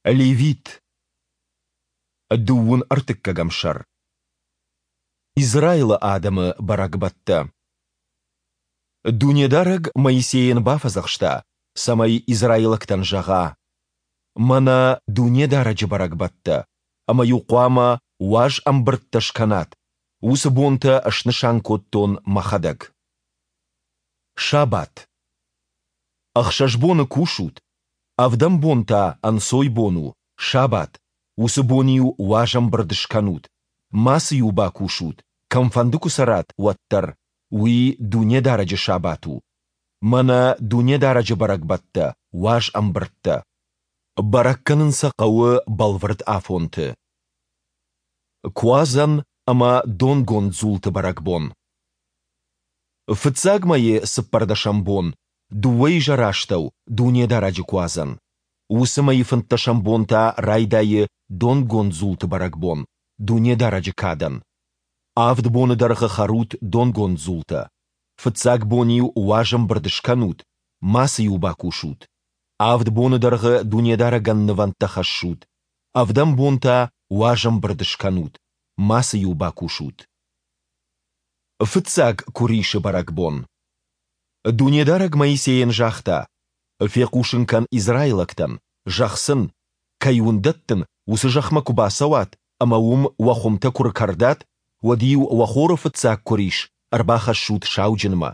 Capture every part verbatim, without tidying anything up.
Левит. Дыууын ӕртыккӕгӕм сӕр. Израилы адӕмы бӕрӕгбӕттӕ. Дунедарӕг Моисейӕн бафӕдзӕхста, цӕмӕй израилӕгтӕн зӕгъа: Мӕнӕ Дунедарӕджы бӕрӕгбӕттӕ, ӕмӕ-иу хъуамӕ уаз ӕмбырдтӕ скӕнат, уыцы бонтӕ снысан кодтон Мӕхӕдӕг. Сабат. Ӕхсӕз боны кусут, ӕвдӕм бон та ӕнцойбон у, сабат, уыцы бон-иу уазӕмбырд скӕнут, мацы-иу бакусут, кӕмфӕнды куы цӕрат, уӕддӕр, уый Дунедарӕджы сабат у. Мӕнӕ Дунедарӕджы бӕрӕгбӕттӕ, уаз ӕмбырдтӕ. Бӕрӕг кӕнын сӕ хъӕуы бӕлвырд афонты. Куадзӕн ӕмӕ донгонд дзулты бӕрӕгбон. Фыццаг мӕйы цыппӕрдӕсӕм бон, дыууӕизӕрастӕу, Дунедарӕджы Куадзӕн. Уыцы мӕйы фынддӕсӕм бон та райдайы донгонд дзулты бӕрӕгбон, Дунедарӕджы кадӕн. Авд боны дӕргъы хӕрут донгонд дзултӕ. Фыццаг бон-иу уазӕмбырд скӕнут, мацы-иу бакусут. Авд боны дӕргъы Дунедарӕгӕн нывӕндтӕ хӕссут. Ӕвдӕм бон та уазӕмбырд скӕнут, мацы-иу бакусут. Фыццаг куырисы бӕрӕгбон. Дунедарӕг Моисейӕн загъта: «Фехъусын кӕн израилӕгтӕн, зӕгъ сын: Кӕй уын дӕттын, уыцы зӕхмӕ куы бацӕуат ӕмӕ уым уӕ хуымтӕ куы ркӕрдат, уӕд-иу уӕ хоры фыццаг куырис ӕрбахӕссут сауджынмӕ.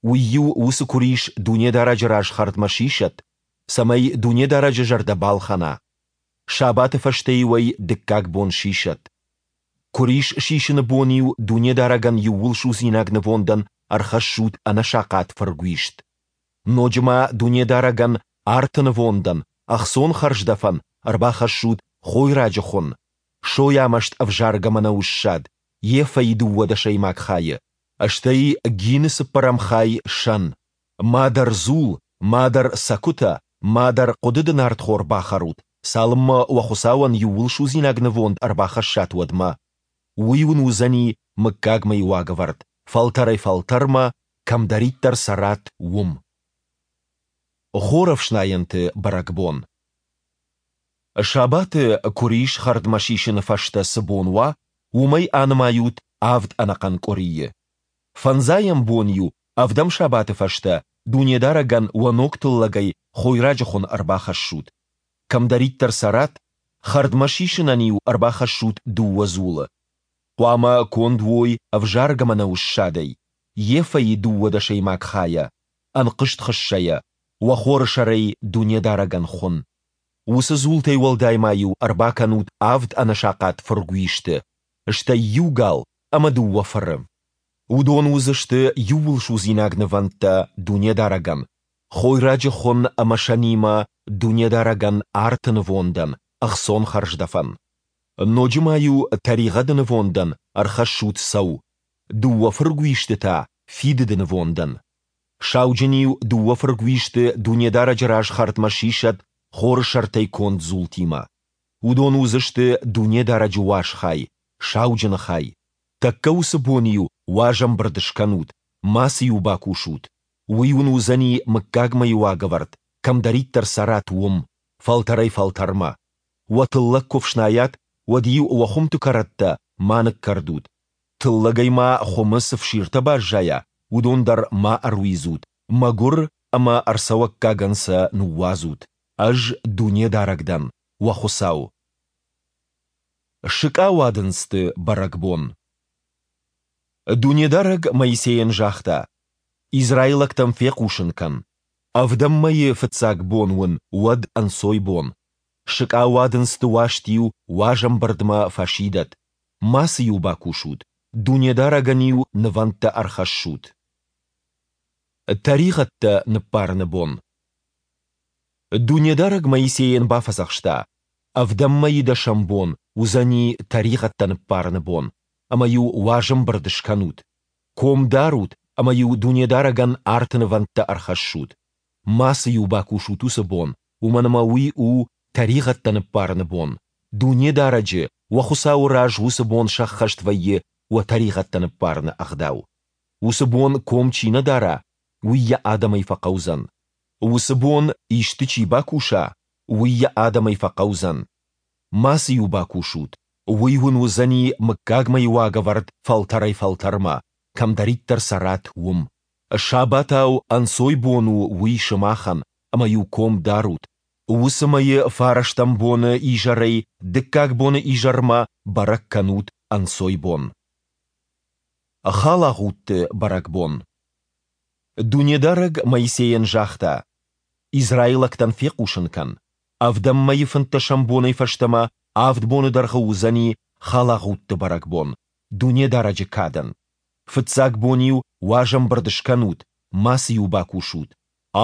Уый-иу уыцы куырис Дунедарӕджы раз хӕрдмӕ сисӕд, цӕмӕй Дунедарӕджы зӕрдӕ балхӕна. Сабаты фӕстӕ-иу ӕй дыккаг бон сисӕд. Куырис сисыны бон-иу Дунедарӕгӕн иууылсудзинаг нывондӕн ӕрхӕссут ӕнӕсахъат фыргуист. Ноджы ма Дунедарӕгӕн арты нывондӕн, ӕхцон хӕрздӕфӕн ӕрбахӕссут хойраджы хуын, сойамӕст ӕвзаргӕ мӕнӕуы ссад, ефӕйы дыууӕ дӕсӕймаг хайы, стӕй гины цыппӕрӕм хай сӕн. Мадӕр дзул, мадӕр цӕкуытӕ, мадӕр хъуыдыды нартхор бахӕрут, цалынмӕ уӕ Хуыцауӕн иууылсудзинаг нывонд ӕрбахӕссат, уӕдмӕ. Уый уын уыдзӕни мыггагмӕйы уагӕвӕрд, фӕлтӕрӕй-фӕлтӕрмӕ, кӕмдӕриддӕр цӕрат, уым. Хорӕфснайӕнты бӕрӕгбон. Сабаты куырис хӕрдмӕ сисыны фӕстӕ цы бон уа, уымӕй анымайут авд ӕнӕхъӕн къуырийы. Фӕндзайӕм бон-иу ӕвдӕм сабаты фӕстӕ Дунедарӕгӕн уӕ ног тыллӕгӕй хойраджы хуын ӕрбахӕссут. Кӕмдӕриддӕр цӕрат, хӕрдмӕ сисынӕн-иу ӕрбахӕссут дыууӕ дзулы. Хъуамӕ конд уой ӕвзаргӕ мӕнӕуы ссадӕй, ефӕйы дыууӕ дӕсӕймаг хайӕ, ӕнхъызт хыссӕйӕ, уӕ хоры сӕрӕй Дунедарӕгӕн хуын. Уыцы дзултӕй уӕлдай ма-иу ӕрбакӕнут авд ӕнӕсахъат фыргуисты, стӕй иу гал ӕмӕ дыууӕ фыры. Уыдон уыдзысты иууылсудзинаг нывӕндтӕ Дунедарӕгӕн, хойраджы хуын ӕмӕ сӕнимӕ Дунедарӕгӕн арты нывондӕн, ӕхцон хӕрздӕфӕн. Ноджы ма-иу тӕригъӕды нывондӕн ӕрхӕссут цӕу, дыууӕ фыргуисты та фидыды нывондӕн. Сауджын-иу дыууӕ фыргуисты Дунедарӕджы раз хӕрдмӕ сисӕд хоры сӕртӕй конд дзултимӕ. Уыдон уыдзысты Дунедарӕджы уаз хай, сауджыны хай. Тӕккӕ уыцы бон-иу уазӕмбырд скӕнут, мацы-иу бакусут. Уый уын уыдзӕни мыггагмӕйы уагӕвӕрд, кӕмдӕриддӕр цӕрат, уым, фӕлтӕрӕй-фӕлтӕрмӕ. Уӕ тыллӕг куы фснайат, уӕд-иу уӕ хуымты кӕрӕттӕ ма ныккӕрдут. Тыллӕгӕй ма хуымы цы фсиртӕ баззайа, уыдон дӕр ма ӕруидзут, мӕгуыр ӕмӕ ӕрцӕуӕггагӕн сӕ ныууадзут. Ӕз Дунедарӕг дӕн, уӕ Хуыцау. Сыкъауадындзты бӕрӕгбон. Дунедарӕг Моисейӕн загъта: Израилӕгтӕн фехъусын кӕн: Ӕвдӕм мӕйы фыццаг бон уын уӕд ӕнцойбон. Сыкъауадындзты уаст-иу уазӕмбырдмӕ фӕсидӕд, мацы-иу бакусут, Дунедарӕгӕн-иу нывӕндтӕ ӕрхӕссут. Тӕригъӕдтӕ ныббарыны бон. Дунедарӕг Моисейӕн бафӕдзӕхста: Ӕвдӕм мӕйы дӕсӕм бон уыдзӕни тӕригъӕдтӕ ныббарыны бон, ӕмӕ-иу уазӕмбырд скӕнут. Ком дарут ӕмӕ-иу Дунедарӕгӕн арты нывӕндтӕ ӕрхӕссут. Мацы-иу бакусут уыцы бон, уымӕн ӕмӕ уый у тӕригъӕдтӕ ныббарыны бон, Дунедарӕджы, уӕ Хуыцауы раз уыцы бон сӕххӕст вӕййы уӕ тӕригъӕдтӕ ныббарыны ӕгъдау. Уыцы бон ком чи нӕ дара, уый йӕ адӕмӕй фӕхъӕудзӕн. Уыцы бон исты чи бакуса, уый йӕ адӕмӕй фӕхъӕудзӕн. Мацы-иу бакусут. Уый уын уыдзӕни мыггагмӕйы уагӕвӕрд фӕлтӕрӕй-фӕлтӕрмӕ, кӕмдӕриддӕр цӕрат, уым. Сабатау ӕнцойбон у уый сымахӕн, ӕмӕ-иу ком дарут. Уыцы мӕйы фарӕстӕм боны изӕрӕй дыккаг боны изӕрмӕ бӕрӕг кӕнут ӕнцойбон. Халагъудты бӕрӕгбон. Дунедарӕг Моисейӕн загъта, Израилӕгтӕн фехъусын кӕн: Ӕвдӕм мӕйы фынддӕсӕм бонӕй фӕстӕмӕ авд боны дӕргъы уыдзӕни Халагъудты бӕрӕгбон, Дунедарӕджы кадӕн. Фыццаг бон-иу уазӕмбырд скӕнут, мацы-иу бакусут.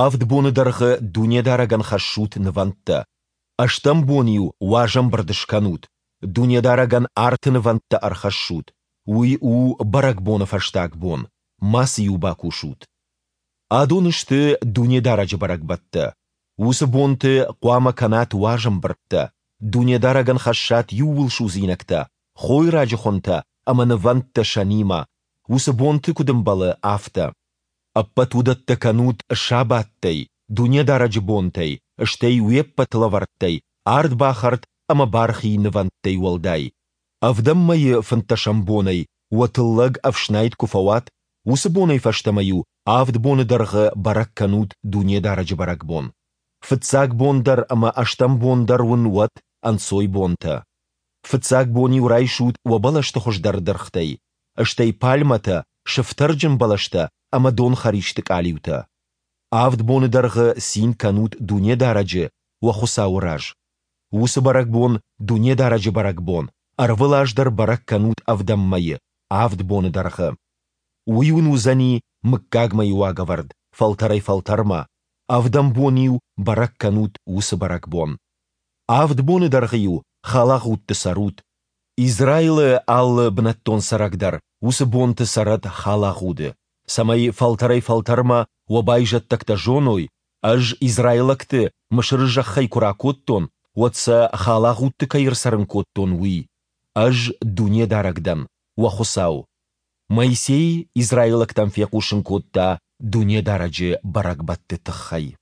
Авд боны дӕргъы Дунедарӕгӕн хӕссут нывӕндтӕ. Ӕстӕм бон-иу уазӕмбырд скӕнут, Дунедарӕгӕн арты нывӕндтӕ ӕрхӕссут. Уый у бӕрӕгбоны фӕстаг бон, мацы-иу бакусут. Адон сты Дунедарӕджы бӕрӕгбӕттӕ. Уыцы бонты хъуамӕ кӕнат уазӕмбырдтӕ, Дунедарӕгӕн хӕссат иууылсудзинӕгтӕ, хойраджы хуынтӕ ӕмӕ нывӕндтӕ сӕнимӕ, уыцы бонты куыд ӕмбӕлы, афтӕ. Ӕппӕт уыдӕттӕ кӕнут сабаттӕй, Дунедарӕджы бонтӕй, стӕй уе ппӕт лӕвӕрттӕй, ардбахӕрд ӕмӕ бархи нывӕндтӕй уӕлдай. Ӕвдӕм мӕйы фынддӕсӕм бонӕй, уӕ тыллӕг ӕфснайд куы фӕуат, уыцы бонӕй фӕстӕмӕ-иу авд боны дӕргъы бӕрӕг кӕнут Дунедарӕджы бӕрӕгбон. Фыццаг бон дӕр ӕмӕ ӕстӕм бон дӕр уын уӕд ӕнцойбонтӕ. Фыццаг бон-иу райсут уӕ бӕлӕсты хуыздӕр дыргътӕй, стӕй пальмӕтӕ, сыфтӕрджын бӕлӕстӕ ӕмӕ донхӕристы къалиутӕ. Авд боны дӕргъы цин кӕнут Дунедарӕджы, уӕ Хуыцауы раз. Уыцы бӕрӕгбон, Дунедарӕджы бӕрӕгбон, ӕрвылаз дӕр бӕрӕг кӕнут ӕвдӕм мӕйы, авд боны дӕргъы. Уый уын уыдзӕни мыггагмӕйы уагӕвӕрд фӕлтӕрӕй-фӕлтӕрмӕ, ӕвдӕм бон-иу бӕрӕг кӕнут уыцы бӕрӕгбон. Авд боны дӕргъы-иу халагъудты цӕрут. Израилы алы бынӕттон цӕрӕг дӕр уыцы бонты цӕрӕд халагъуды, цӕмӕй фӕлтӕрӕй-фӕлтӕрмӕ уӕ байзӕддӕгтӕ зоной, Ӕз израилӕгты Мысыры зӕххӕй куы ракодтон, уӕд сӕ халагъудты кӕй ӕрцӕрын кодтон, уый. Ӕз Дунедарӕг дӕн, уӕ Хуыцау. Моисей израилӕгтӕн фехъусын кодта Дунедарӕджы бӕрӕгбӕтты тыххӕй.